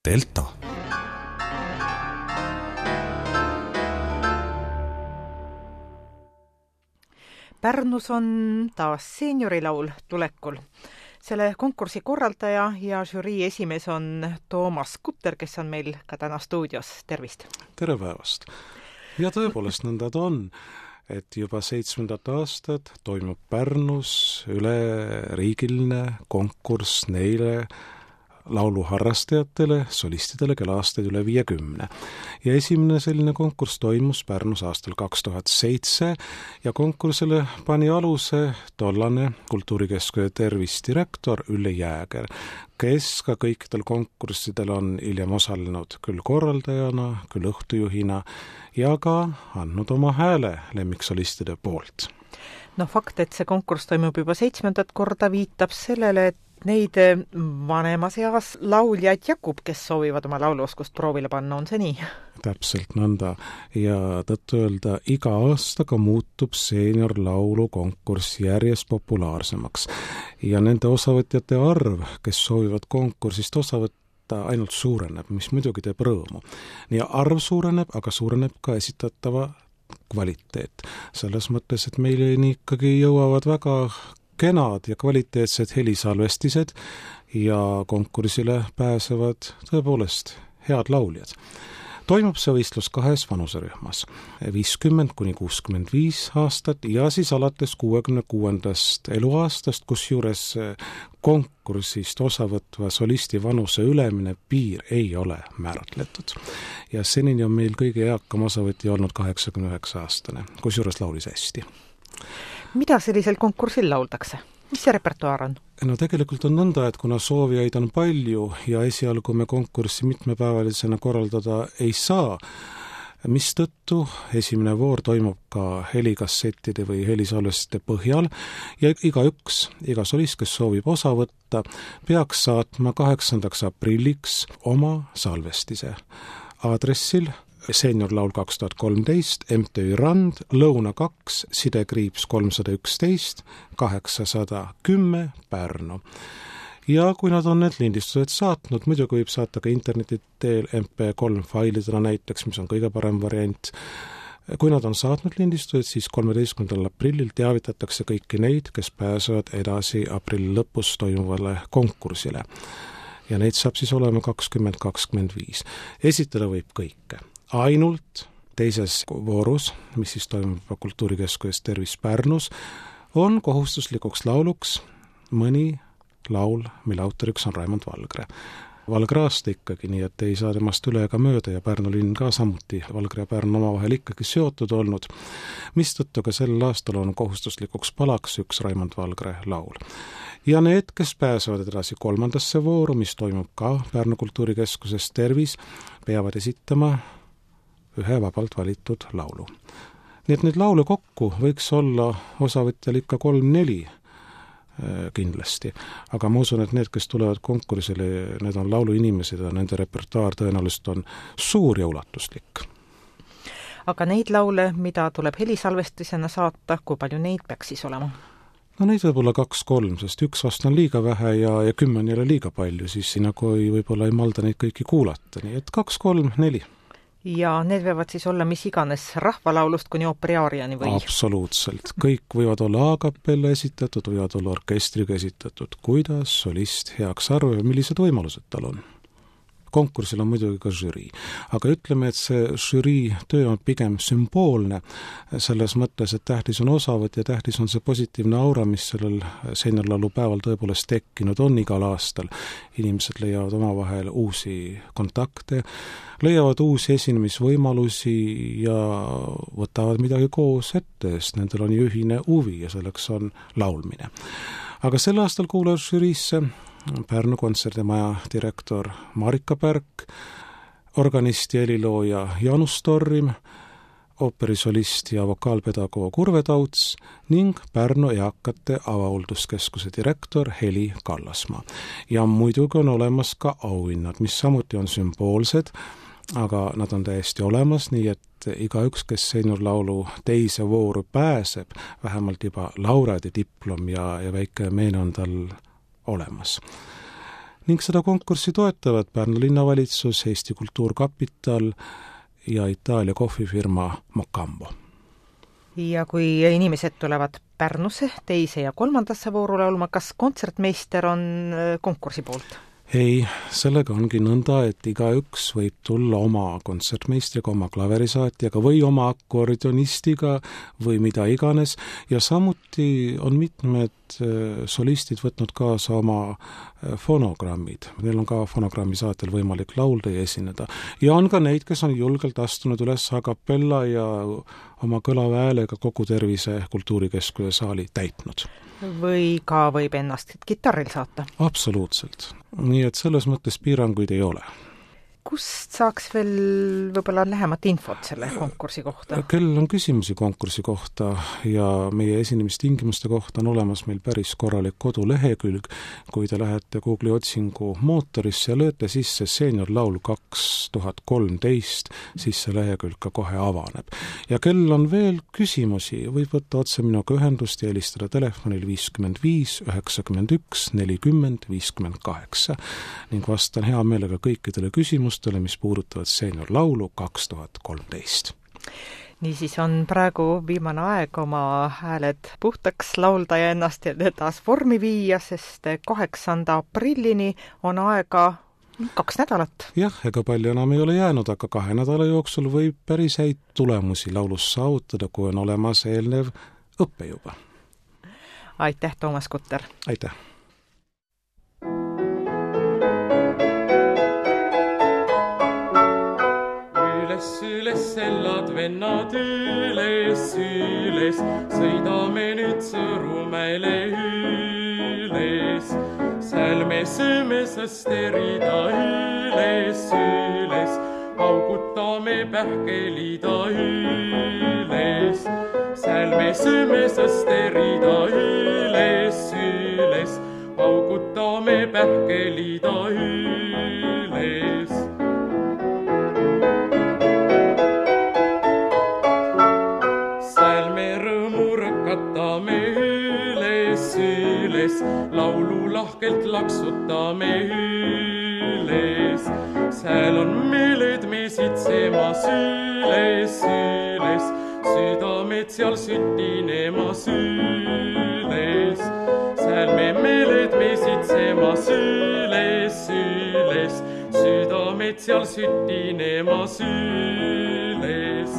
Delta. Pärnus on taas seeniorilaul tulekul. Selle konkursi korraldaja ja žürii esimees on Toomas Kutter, kes on meil ka täna stuudios. Tervist! Tere päevast! Ja tõepoolest nõnda ta on, et juba 7. aastat toimub Pärnus üleriigiline konkurss neile lauluharrastajatele, solistidele, kelle aastaid üle 50. Ja esimene selline konkurss toimus Pärnus aastal 2007 ja konkursile pani aluse tollane kultuurikeskuse tervisdirektor Ülle Jääger, kes ka kõikidel konkurssidel on hiljem osalenud küll korraldajana, küll õhtujuhina ja ka andnud oma hääle lemmiksolistide poolt. Fakt, et see konkurss toimub juba 7. korda, viitab sellele, et neid vanemas eas lauljaid jagub, kes soovivad oma lauluoskust proovile panna, on see nii? Täpselt nõnda ja tõttu öelda, iga aastaga muutub seeniorlaulu konkurss järjest populaarsemaks ja nende osavõtjate arv, kes soovivad konkursist osa võtta, ainult suureneb, mis muidugi teeb rõõmu. Nii arv suureneb, aga suureneb ka esitatava kvaliteet. Selles mõttes, et meile ikkagi jõuavad väga kenad ja kvaliteetsed helisalvestised ja konkursile pääsevad tõepoolest head lauljad. Toimub see võistlus 2 vanuserühmas, 50–65 aastat ja siis alates 66. eluaastast, kus juures konkursist osavõtva solisti vanuse ülemine piir ei ole määratletud. Ja senini on meil kõige eakam osavõtja olnud 89-aastane, kus juures laulis hästi. Mida sellisel konkursil lauldakse? Mis see repertuaar on? Tegelikult on nõnda, et kuna soovijaid on palju ja esialgu me konkurssi mitmepäevalisena korraldada ei saa, mistõttu esimene voor toimub ka helikassettide või helisalvestite põhjal ja iga solist, kes soovib osa võtta, peaks saatma 8. aprilliks oma salvestise aadressil Seeniorlaul 2013, MTÜ Rand, Lõuna 2, sidekriips 311, 810 Pärnu. Ja kui nad on need lindistused saatnud, muidugi võib saata ka interneti teel MP3 failidena näiteks, mis on kõige parem variant. Kui nad on saatnud lindistused, siis 13. aprillil teavitatakse kõiki neid, kes pääsevad edasi aprilli lõpus toimuvale konkursile. Ja neid saab siis olema 20-25. Esitada võib kõike. Ainult teises voorus, mis siis toimub kultuurikeskuses Tervis Pärnus, on kohustuslikuks lauluks mõni laul, mille autoriks on Raimond Valgre. Valgre aasta ikkagi, nii et ei saa temast üle ega mööda ja Pärnu linn ka samuti. Valgre ja Pärnu omavahel ikkagi seotud olnud, mistõttu ka sel aastal on kohustuslikuks palaks üks Raimond Valgre laul. Ja need, kes pääsevad edasi 3. vooru, mis toimub ka Pärnu kultuurikeskuses Tervis, peavad esitama ühe vabalt valitud laulu. Nii et neid laule kokku võiks olla osavõtjal ikka 3-4 kindlasti. Aga ma usun, et need, kes tulevad konkursile, need on lauluinimesed ja nende repertuaar tõenäoliselt on suur ja ulatuslik. Aga neid laule, mida tuleb helisalvestisena saata, kui palju neid peaks siis olema? Neid võib olla 2-3, sest 1 vast on liiga vähe ja 10 ei ole liiga palju, siis nagu võib-olla ei malda neid kõiki kuulata. Nii et 2-3-4. Ja need võivad siis olla mis iganes rahvalaulust kuni ooperiaariani või? Absoluutselt. Kõik võivad olla a-capella esitatud, võivad olla orkestriga esitatud, kuidas solist heaks arvab ja millised võimalused tal on. Konkursil on muidugi ka žürii. Aga ütleme, et see žürii töö on pigem sümboolne selles mõttes, et tähtis on osavõtt ja tähtis on see positiivne aura, mis sellel seeniorlaulu päeval tõepoolest tekkinud on igal aastal. Inimesed leiavad omavahel uusi kontakte, leiavad uusi esinemisvõimalusi ja võtavad midagi koos ette, sest nendel on ju ühine huvi ja selleks on laulmine. Aga sel aastal kuulas žüriisse Pärnu kontserdimaja direktor Marika Pärk, organist ja helilooja Janus Torrim, ooperisolist ja vokaalpedagoog Urve Tauts ning Pärnu eakate avahooldus-keskuse direktor Heli Kallasmaa. Ja muidugi on olemas ka auhinnad, mis samuti on sümboolsed, aga nad on täiesti olemas, nii et igaüks, kes seeniorlaulu teise vooru pääseb, vähemalt juba laureaadi diplom ja väike meene on tal olemas. ning seda konkurssi toetavad Pärnu linnavalitsus, Eesti Kultuurkapital ja Itaalia kohvifirma Mocambo. Ja kui inimesed tulevad Pärnusse teise ja kolmandasse vooru laulma, kas kontsertmeister on konkursi poolt? Ei, sellega ongi nõnda, et igaüks võib tulla oma kontsertmeistriga, oma klaverisaatjaga või oma akordionistiga või mida iganes ja samuti on mitmed solistid võtnud kaasa oma fonogrammid. Neil on ka fonogrammi saatel võimalik laulda ja esineda. Ja on ka neid, kes on julgelt astunud üles a cappella ja oma kõlava häälega kogu Tervise Kultuurikeskuse saali täitnud. Või ka võib ennast kitarril saata? Absoluutselt. Nii et selles mõttes piiranguid ei ole. Kust saaks veel võib-olla lähemat infot selle konkursi kohta? Kellel on küsimusi konkursi kohta ja meie esinemistingimuste kohta on olemas meil päris korralik kodulehekülg. Kui te lähete Google'i otsingu mootorisse ja lööte sisse seeniorlaul 2013, siis see lehekülg ka kohe avaneb. Ja kellel on veel küsimusi, võib võtta otse minuga ühendust ja helistada telefonil 55 91 40 58 ning vastan hea meelega kõikidele küsimustele, mis puudutavad seeniorlaulu 2013. Niisiis on praegu viimane aeg oma hääled puhtaks laulda ja ennast taas vormi viia, sest 8. aprillini on aega 2 nädalat. Jah, ega palju enam ei ole jäänud, aga 2 nädala jooksul võib päris häid tulemusi laulus saavutada, kui on olemas eelnev õppe juba. Aitäh, Toomas Kutter! Aitäh! Üles sellad vennad üles, sõidame nüüd Sõõrumäele üles. Seal me sööme sõsterida üles, paugutame pähkelida üles. Seal me sööme sõsterida üles, paugutame pähkelida üles. Laulu lahkelt laksutame üles. Seal on meeled me sitsemas üles. Südamed seal sütinemas üles. Seal me meeled me sitsemas üles. Südamed seal sütinemas üles.